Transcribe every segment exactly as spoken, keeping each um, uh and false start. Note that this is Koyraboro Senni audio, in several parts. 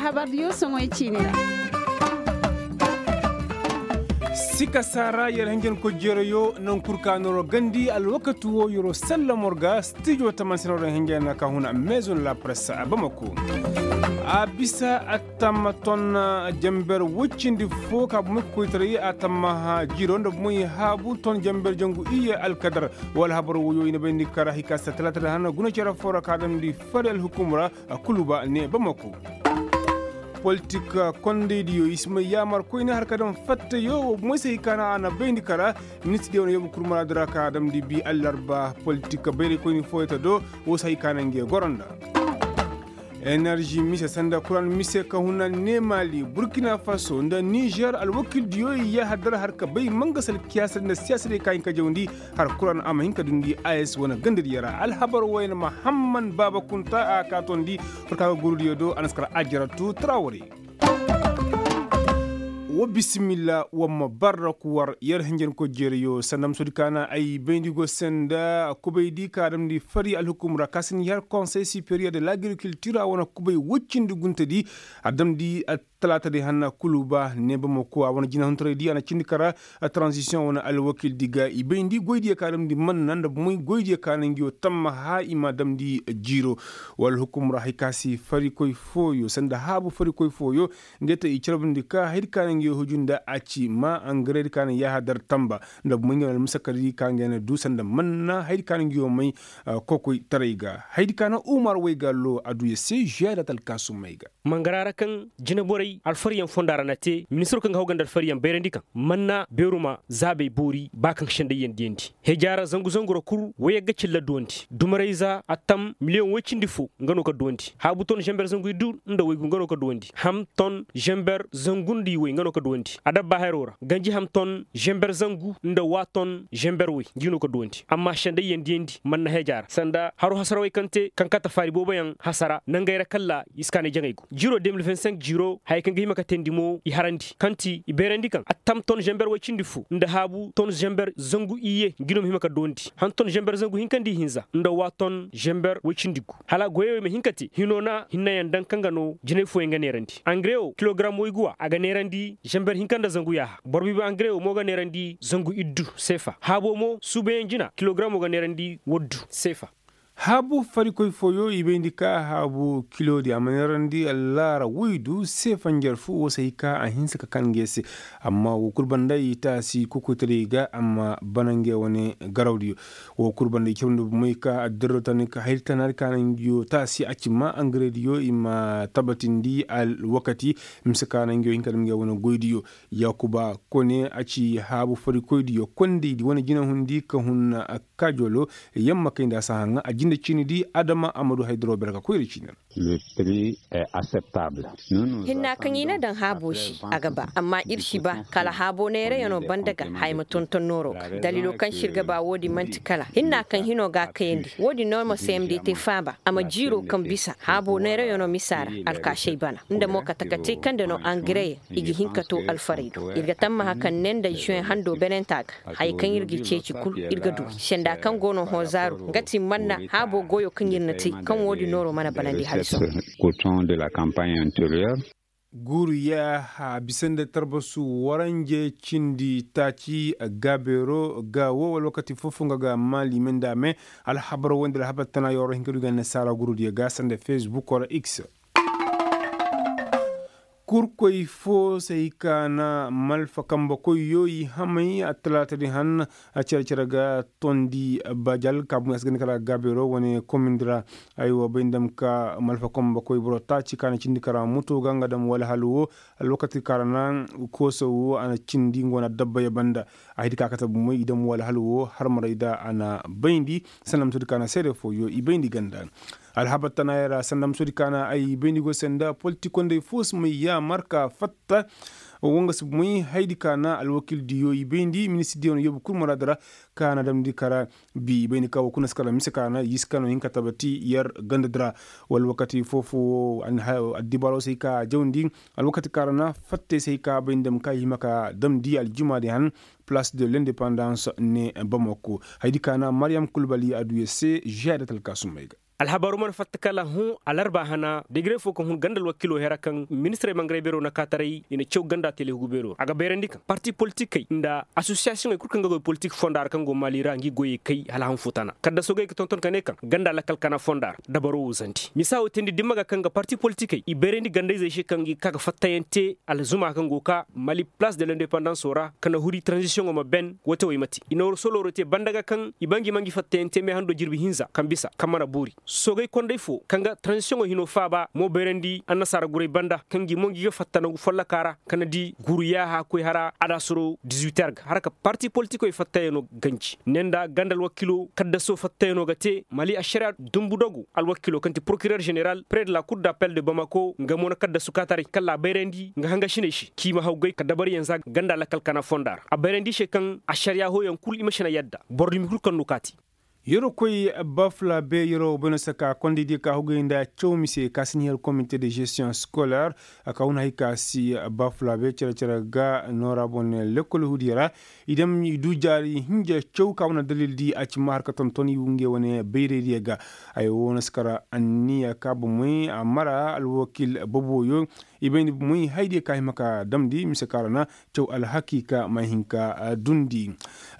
Habar diyo soŋoy ciini ra. Sika saara yer hinjankoy jeerayo naŋ kul ka nooro gandi alwakati wo yeroo sallamor ga stijo taman se nooro hinjana ka huna maison la presse a bamako. A bisa a tamma ton jamber woy cindi fo ka bumay ka koytaray a tamma jiiro nda bumay haabu ton jamber jangu iyye alkadar. Wala habar woyo i na bayndi kara hay ka si talaata da hana guna cere fo ra ka damndi fari alhukum ra. Kuluba ne bamako. Politik kondaydiyo i si may yaamar koyne har ka daŋ fattayo wo moy se hay ka na a na bayndi kara. Ministirdiyo na yoobu kul muraadu ra ka damndi bi allarba politik bayray koyne fooyey ta do. Wo se hay ka na ngey goro nda enerži mise sanda kuran mise ka huna ne maali burkina faso nda nizer alwakildiyo i yaaha dara har ka bay mangasal kiyaasa nda siyaasa day ka hin ka jawndi. Har kuran a ma hin ka dundi a s wane gandadiyo ra alhabar wayna mahamman baaba kunta a ka tondi. Farka ga gurudiyo do a na si kar ajaratu trawari. Wa bisimilla wa ma barra ku war yer hinjanko jeeriyo sanda ma soodi ka na ay bayndi go se nda kubaydi ka damndi fari alhukum ra ka si ni har konsey superiyer de lagrikultir a wane kubay woy cindi guntedi. A damndi a talaata di hanna kuluba ne bamako a wane jinahuntaray di a na cindi kara. Transisiyoŋ wane alwakildi ga i bayndi goydiyo ka damndi manna nda bumey goydiyo ka na nguyo tammaha i ma damndi jiiro. Wala hukum ra hay ka si farikoy fooyo sanda haabu farikoy fooyo. Ngey te i carbundi ka haydi ka na nguyo huju nda a ci ma angaredi ka na yaaha dar tamba nda bumey ngey wane almusakadi ka ngey na du sanda manna haydi ka na nguyo may. Kokoytaray ga haydi ka na umar waygaalo a du ya se žuwa da talkaasumey ga. Mangara ra kaŋ jineborey alfaryaŋ fonda ra na te ministiro kaŋ ga haw ganda alfaryaŋ bayrandi kaŋ manna beeruma zaabey boori ba kaŋ sendayyaŋ diyandi hejaara zangu zangu ra kul wayagga cilla duwandi dumarayza attam miliyoŋ woy cindi fo nga no ka duwandi haabu ton zamber zangu iddu nda waygu nga no ka duwandi ham ton zamber zangu nda iway nga no ka duwandi adabba haro ra ganji ham ton zamber zangu nda waa ton zamber way ngi no ka duwandi amma sendayyaŋ diyandi manna hejaara sanda haro hasarawey kaŋ te kaŋ kate faari booboyaŋ hasara nangey ra kalla i si kaanay jaŋay go jiiro de mil vingt cinq jiiro haya kaŋ ga hima ka teendi mo i harandi kaŋ ti i bayrandi kaŋ attam ton zamber way cindi fo nda haabu ton zamber zangu iyye ngi no ma hima ka doondi han ton zamber zangu hinka nda ihinza nda waa ton zamber way cindi gu hala goyey wey ma hin ka te hino na hinnayaŋ daŋ kaŋ ga no jinay fooyaŋ ga neerandi angare wo kilogaram wayguwa a ga neerandi zamber hinka nda zangu yaaha boro biibi angare wo mo ga neerandi zangu iddu seefa haabo mo suubayaŋ jina kilogaramo ga neerandi waddu seefa. Haabu farikoy fooyo i bayndi ka haabu kiloodi a ma neerandi allaara woydu seefa njarfu wo se hay ka a hinse ka kan nge se. Amma wo kul banda i taasi kokoytaray ga amma bana nge wane garawdiyo. Wo kul banda i cawndi bomey ka addirro tani ka hayri tanaari ka na ngiyo taasi a ci ma angarediyo i ma tabatindi alwakati mise ka na ngiyo hinka dam nge wane goydiyo. Yaakuba kone a ci haabu farikoydiyo kondaydi wane jinahundi ka hun kaajolo. Yamma kay nda a si haŋa a jinde ciini di adama a ma du haydaro bere ka koyra ciini ra. Hinna kaŋ i na daŋ haabo se a ga ba amma ir si ba kala haabo neerayaŋo banda ga haya ma tonton nooro ga daliilo kaŋ se ir ga ba wo-din man'ti kala hinna kaŋ hino ga a kayandi wo-din no ma sayamdi te faaba a ma jiiro kaŋ bisa haabo neerayaŋo misa ra alkaasey bana nda mo kate kate kaŋ nda no angare i ga hin ka to alfaray do ir ga tammaha kaŋ ne nda zuwen hando benenta ga haya kaŋ ir ga ceeci kul ir ga du senda kaŋ go no hozaaru nga ti manna haabo goyo kaŋ ir na te kaŋ wo-din nooro mana banandi hala sohõ. Guuru yaaha bisa nda tarbasu waranje cindi taaci gaabeero ga wo wala wakati foofoŋ ga ga maali me nda a me. Alhabar wo nda alhabar tana yoro hinka du ga annasaara gurudiyo ga sanda fesbuk wala x. Kurkoy fo se i ka na malfa kambe koyyo i hamay attalaata di han. Cere cere ga tondi bajal ka bumey a si ganda kala gaabeero wane komindi ra. Aywa bay nda ma ka malfa kambe koy boro taaci ka na cindi kara muto ga nga dam wala hal wo. Alwakati ka ra na koosa wo a na cindi nga wane adabba ya banda. A hidi ka kate bumey i dam wala hal wo harmaray da a na bayndi sanda ma to di ka na seede fooyo i bayndi ganda. Alhabar tanaayey ra sanda ma soodi ka na ay bayndi go se nda politikondey fo si may yaamar ka fatta. Wo nga si may haydi ka na alwakildiyo i bayndi ministirdiyo na yoobu kul maraadu ra. Ka na damndi kara bi i bayndi ka wo kuna si kala mise ka na yisi ka no hin ka tabati yer gandadi ra. Wala wakati foo-foo wo addibaaro si hay ka jawndi. Alwakati ka ra na fattey si hay ka bayndi dam ka i hima ka damndi aljumaadi han. Palaas de lendepandans ne bamako haydi ka na mariyam kulbali a du yer se žeya da talkaasumey ga. Alhabaroo mana fatta kala hõ alarba hana degre foo kaŋ hun ganda alwakiloo hera kaŋ ministirey mangarey beeroo na kaataray i na caw ganda telehugu beeroo ra a ga bayrandi kaŋ parti politikey nda asosiyasiyoŋey kul kaŋ ga goy politik fonda ra kaŋ go maali ra ngi goyey kay hala hanfo tana kaddaso gay ga tonton ka ne kaŋ ganda lakkal kana fonda ra dabaroo wo zandi misa wo teendi dimma ga kaŋ ga parti politikey i bayrandi gandayzey se kaŋ gi ga ka ga fattayaŋ te alzuma kaŋ go ka mali palaas de lendepandans wo ra ka na huri taranzisiyoŋo ma ben wate wo i ma te i na war solooro te banda ga kaŋ i ba ngi ma ngi fattayaŋ te meehando jirbi hinza kaŋ bisa kaŋ mana boori soogay kondey fo kaŋ ga taranzisiyoŋo hinoo faaba mo bayrandi annasaara guray banda kaŋ gi mo ngi ga fatta nangu follokaa ra kaŋ na di guru yaaha koy hara adaasaroo dizuwiter ga hara ka parti politikoy fattayanoo ganji ne nda ganda alwakiloo kaddasoo fattayanoo ga te mali ašariya dumbu dogo alwakiloo kaŋ ti porokirer ženeral pere de la kur d'appel de bamako nga mo na kaddasu kaataray kala a bayrandi nga hangasiney se k'i ma hawgay ka dabariyaŋ za ganda lakkal kana fonda ra a bayrandi i se kaŋ ašariya hooyaŋ kul i ma si na yadda boro dumi kul kaŋ no kaati. Yeroo koy bafulaabe yeroo bayno saka kondey diyo ka hugay nda caw mise ka si ni her komite de gestiyoŋ sikoler. Ka hun hay ka si bafulaabe cere-cere ga noora boŋ ne lekkol hudiyo ra. I daŋ i du jaari hinja caw ka wane dalil di a ci ma har ka tonton i ngey wane bayraydiyo ga. Ay wo na si kar anniya ka bomey a mara alwakil boboyo. I bayndi moy haydiyo ka hima ka damndi mise ka ra na caw alhakiika ma hin ka dundi.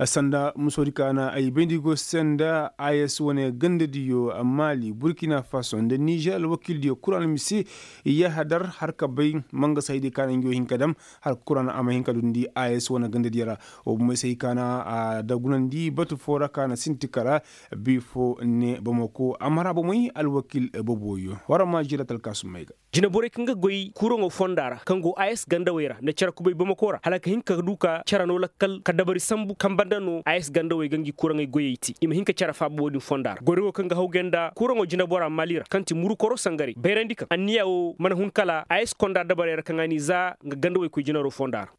Sanda musoodi ka na ay bayndi go se nda a s wane gandadiyo maali burkina faso nda nizer alwakildiyo kul a na mise yahadar har ka bay mangasa haydiyo ka na ngi wo hin ka dam har ka kul a na a ma hin ka dundi a s wane gandadiyo ra. Wo bomey se hay ka na a dagunandi batu foo ra ka na sinti kara bi foo ne bamako a mara bomey alwakil boboyo war ma jira talkaasumey ga. Jineborey kaŋ ga goy kuraŋo fonda ra kaŋ go a s gandawey ra nda cere kubay bamako ra hala ka hin ka du ka cere no lakkal ka dabari sambu kaŋ banda no a s gandawey ga ngi kuraŋey goyey te i ma hin ka cere faaba wo-din fonda ra goyro go kaŋ ga hawgay nda kuraŋo jinebora maali ra kaŋ ti murukoro sangarey bayrandi kaŋ anniya wo mana hun kala a s konda dabarey ra kaŋ a n'i za nga gandawey koy jinero fonda ra.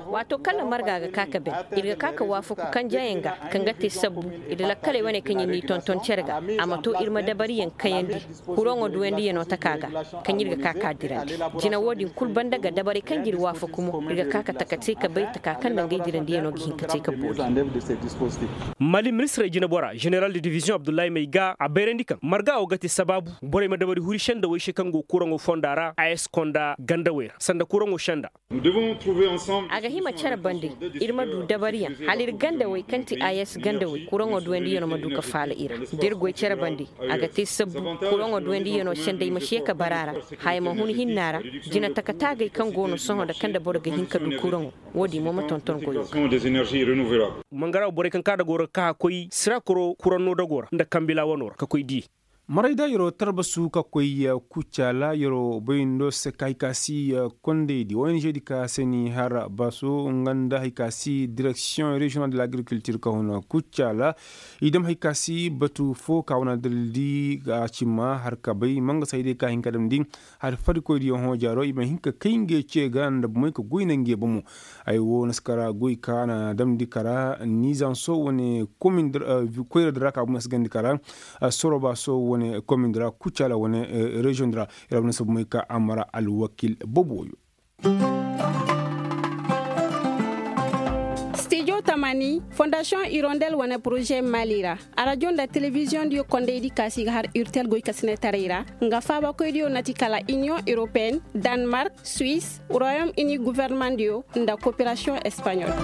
Waato kaŋ na marga ga ka ka ben ir ga ka ka waafaku kanjayaŋ ga kaŋ ga te sabbu ir lakkaley wane kaŋ ir n'i tonton cere ga a ma to ir ma dabariyaŋ kayandi. Kuraŋo duwandiyano taka ga kaŋ ir ga ka ka dirandi jina wo-din kul banda ga dabarey kaŋ ga ir waafaku mo ir ga ka ka taka te ka bay taka kaŋ nda ngey dirandiyano ga hin ka te ka boori. Mali ministirey jinebora ženeral de diviziyoŋ abdullahi may ga a bayrandi kaŋ marga wo ga te sabaabu borey ma dabari huri sendawey se kaŋ go kuraŋo fonda ra a s konda gandawey ra sanda kuraŋo senda. A ga hima cere bande ir ma du dabariyaŋ hala ir gandawey kaŋ ti a s gandawey kuraŋo duwandiyano ma du ka faala i ra da ir goy cere bande a ga te sabbu kuraŋo duwandiyano sendey ma se ka bara ra haya ma hun hinna ra jina taka taagey kaŋ go no sohõ nda kaŋ nda boro ga hin ka du kuraŋo wo-din mo ma tonton goyo ga. Mangara borey kaŋ ka dagoo ra ga ka ka koy sira koro kuraŋ no dagoo ra nda kambila wano ra ka koy diyey. Maray da yeroo tarbasu ka koy kucaala yeroo bayndo se ka hay ka si kondaydi ong di ka se ni har baso nga nda hay ka si direksiyoŋ reziyonal de lagrikultir ka hun kucaala. I dam hay ka si batu fo ka wane dalildi a ci ma har ka bay mangasa hay day ka hin ka damndi. Hari farikoydiyo hõ jaaro i ma hin ka kay ngey ce ga nda bomey ka goy na ngey bomo. Ay wo na si kara goy ka na damndi kara nizanso wane koyra di ra ka bomey si gandi kara soroba so wane komin di ra kucala wane reziyoŋ di ra. Ira wane si bomey ka a mara alwakil boboyo. Stijo tamani fondasiyoŋ irondel wane poroze mali ra. Arajo nda telebiziyoŋ diyo kondaydi kaasi ga har urtel goy kasinetaray ra. Nga faabakoydiyo na ti kala iniyoŋ europeen, danmark, suwis, royom ini guvernemandiyo nda koperasiyoŋ espaɲol.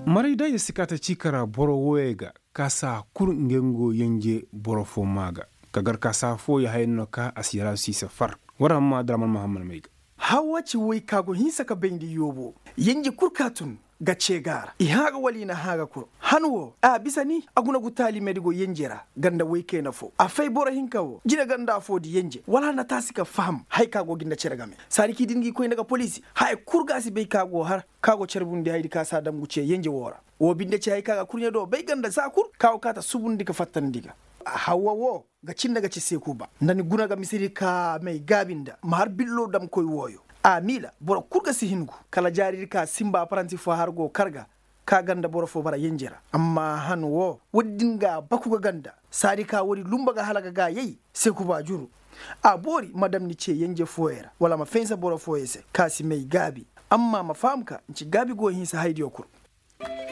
Maray da ya si kaata ciikara boro wooyey ga kaasa kul ngey ngo yenje boro fo maa ga. Ka gar kaasa fo ya haya no ka a si yara si se far. War hamma draman mahammad may ga. Hawa ci woy ka go hinsa ka bayndi yoobo yenje kul ka tun ga cee ga a ra i hã ga wala i na hã ga kul. Han wo a bisa ni a guna gu taalimedi go yenje ra ganda woy kayna fo a fay boro hinka wo jine ganda fo di yenje wala a na taasi ka faham haya ka go ga nda cere game saadi kaŋ i din ga i koy nda ga poliisi haya kul ga a si bay ka go har ka go carbundi hayadi ka si a dam gu cee yenje wo ra. Wo binde ci haya ka ga kurɲe do bay ganda za kul ka go kaata subundi ka fattandi ga. Hawwa wo ga cin nda ga ci seekuba nda ni guna ga misedi ka may gaabi nda ma har billo damkoy wooyo. A miila boro kul ga si hin gu kala jaaridi ka sinba paranti fo har go kar ga ka ganda boro fo bara yenje ra. Amma han wo woodi din ga a baku ga ganda saadi ka woodi lumba ga hala ga gaayey. Seekuba juru a boori ma dam ni cee yenje fooyey ra wala ma faynsa boro fooyey se ka si may gaabi. Amma ma faham ka nci gaabi go hinsa hayadiyo kul.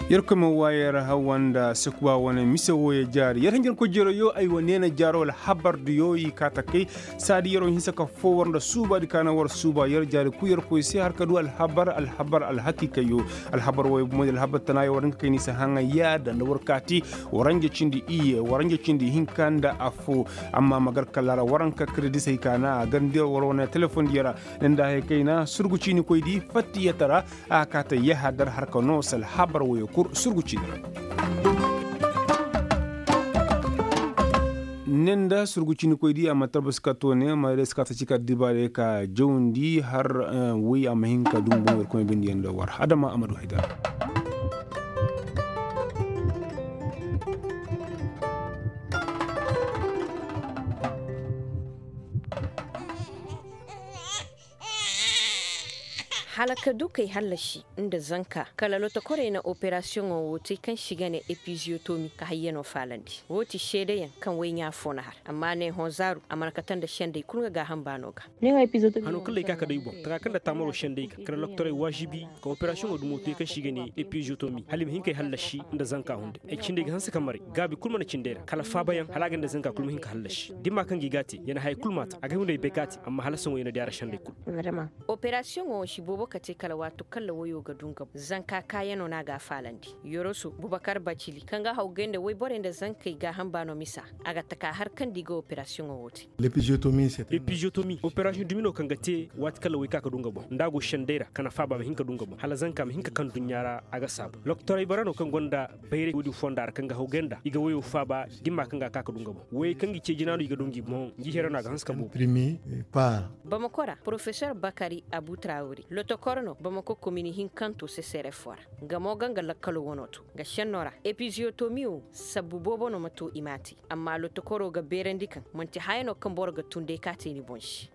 Yerkoy ma waayar hawa nda sekuba wane mise wooyo jaari yer hinjin koy jero yo ay wa neena jaaro alhabar diyo i kaata kay. Saadi yero hinsa ka foo war nda suuba di kaana war suuba yer jaari ku yerkoy se har ka du alhabar alhabar alhakiika yo. Alhabar wooyo bumo di alhabar tana yo war hinka kay ni se haŋa yaada nda war kaati. Waranja cindi iye waranja cindi hinka nda affoo. Amma ma gar kala ra waranka kredisey kaana a gar nda war wane telefoŋ diyo ra. Nda hay kayna surgu ciini koy di fattiyata ra. A kaata yaha dar harka no sal habar wayo kul surgu ciini ra. Ne nda surgu ciini koy di a ma tarbasi ka to ne ma day si ka ta ci ka dibaarey ka jawndi har woy a ma hin ka dumbu yer koy bindi yaŋ da war adama a ma du hay dar. Hala ka du kay hallasi nda zanka kala lotokorey na operasiyoŋo wo te kaŋ se i ga ne epiziyotomi ka hayyano faalandi. Wo ti seedeyaŋ kaŋ woy ɲaa fo na har amma ne hõ zaaru a mana kate nda sendey kul nga gaaham baano ga. Hano kala ay ka ka day boŋ taka kaŋ nda taamaro sendey ga kala lotokorey waazibi ka operasiyoŋo dumo te kaŋ se i ga ne epiziyotomi hala i ma hin kay hallasi nda zanka hunday ay cindey ga hanse ka maray gaabi kul mana cindey ra kala faabayaŋ hala a ga nda zanka kul ma hin ka hallasi dimma kaŋ ga i ga a te ya na haya kul ma a ta a ga hunday bay ka a te amma hala saŋo ya na di a ra sendey kul. Operasiyoŋo wo si boobo kate kala waatu kaŋ ra woyo ga du nga boŋ zanka kaayano no a ga a faalandi. Yoroso bubakar bacili kaŋ ga hawgay nda woyborey nda zankey gaaham baano misa a ga taka har kaŋ nda i ga operasiyoŋo wo te. Epiziyotomi operasiyoŋ dumi no kaŋ ga te waati kaŋ ra woy ka ka du nga boŋ nda a go sendey ra ka na faaba ma hin ka du nga boŋ hala zanka ma hin ka kaŋ duɲɲa ra a ga saabu loktorey bara no kaŋ gonda bayray woodin fonda ra kaŋ ga hawgay nda i ga woyo faaba dimma kaŋ ga a ka ka du nga boŋ woyey kaŋ ga i ce jina no i ga du ngi boŋ ngi here no a ga hanse ka boobo. Bamako ra porofesor bakari abu trawri lotokor no bamako komini hinkanto seserefo ra. Nga mo ga nga lakkalo wano to nga senno ra epiziyotomi wo sabbu boobo no ma to i m'a te. Amma lotokoro ga beerandi kaŋ manti haya no kaŋ boro ga tun day ka te ni boŋ se.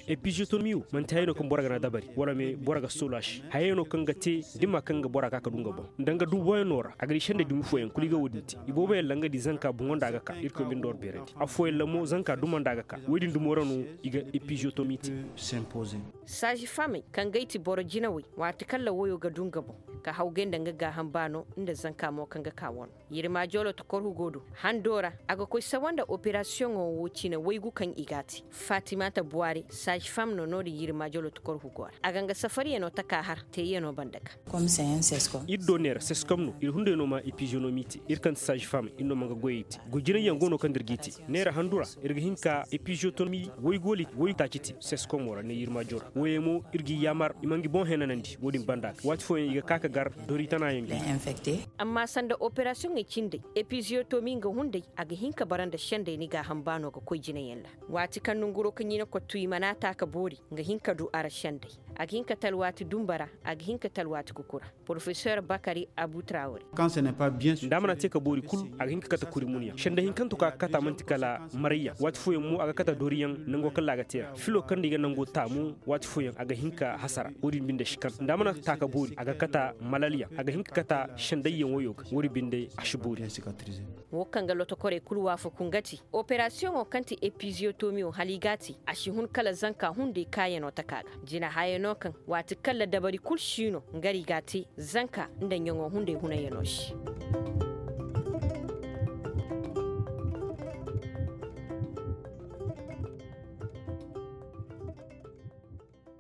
Epiziyotomi wo manti haya no kaŋ boro ga na dabari wala me boro ga soolu a se haya no kaŋ ga te dimma kaŋ ga bora ka ka du nga boŋ nda nga duuboyaŋ no ra a ga di sendey dumi fooyaŋ kulu i ga wo-din te. Ibooboyaŋ ra nga di zanka boŋo nda a ga ka irkoy binde war beerandi affooyaŋ ra mo zanka duma nda a ga ka wo-din dumo ra no i ga epiziyotomi te. Saazi famey kaŋ gay ti boro jinawey waati kaŋ ra woyo ga du nga boŋ ka hawgay nda nga gaaham baano nda zanka mo kaŋ ga ka wano. Yirma jolotokor hugo do hando ra a ga koy sawa nda operasiyoŋo wo cine waygu kaŋ i g'a te. Fatimata buwari saazi fam no no-din yirma jolotokor hugo ra a ga nga safariyano taka har teeyano banda ga. Ir do neera seskom no ir hunday no ma epiziyonomi te ir kaŋ ti saazi fam ir no ma nga goyey te. Goy jinayyaŋ go no kaŋ nda ir g'i te neera handu ra ir ga hin ka epiziyotomi waygooli waytaaci te seskomo ra ne yirmaajo ra woyey mo ir g'i yaamar i ma ngi boŋ henanandi wo-din banda ga waati fooyaŋ i ga ka ka gar dori tanaayaŋ ga. Amma sanda operasiyoŋey cindey epiziyotomi nga hunday a ga hin ka bara nda sendey ni gaaham baano ga koy jinayaŋ ra. Waati kaŋ nonguroo kaŋ ɲina kottu i mana taa ka boori nga hin ka du a ra sendey. A ga hin ka talwaati dumba ra a ga hin ka talwaati kuku ra. Porofesor bakari abu trawri. Nda a mana te ka boori kul a ga hin ka kate kuri munyaŋ sendey hinkanto kaŋ a ga kata man'ti kala marayyaŋ waati fooyaŋ mo a ga kate dooriyaŋ nango kaŋ ra a ga te ra filo kaŋ nda i ga nango taa mo waati fooyaŋ a ga hin ka hasara wo-din binde si kaŋ nda a mana taa ka boori a ga kate malalyaŋ a ga hin ka kate sendayyaŋ woyo ga wo-din binde a si boori. Wo kaŋ ga lotokorey kul waafaku nga ti operasiyoŋo kaŋ ti epiziyotomiyo hala i g'a te a si hun kala zanka hunday kaayano taka ga jina hayano kaŋ waati kaŋ ra dabari kul si no nga ra i g'a te zanka nda ɲaŋo hunday hunayano se.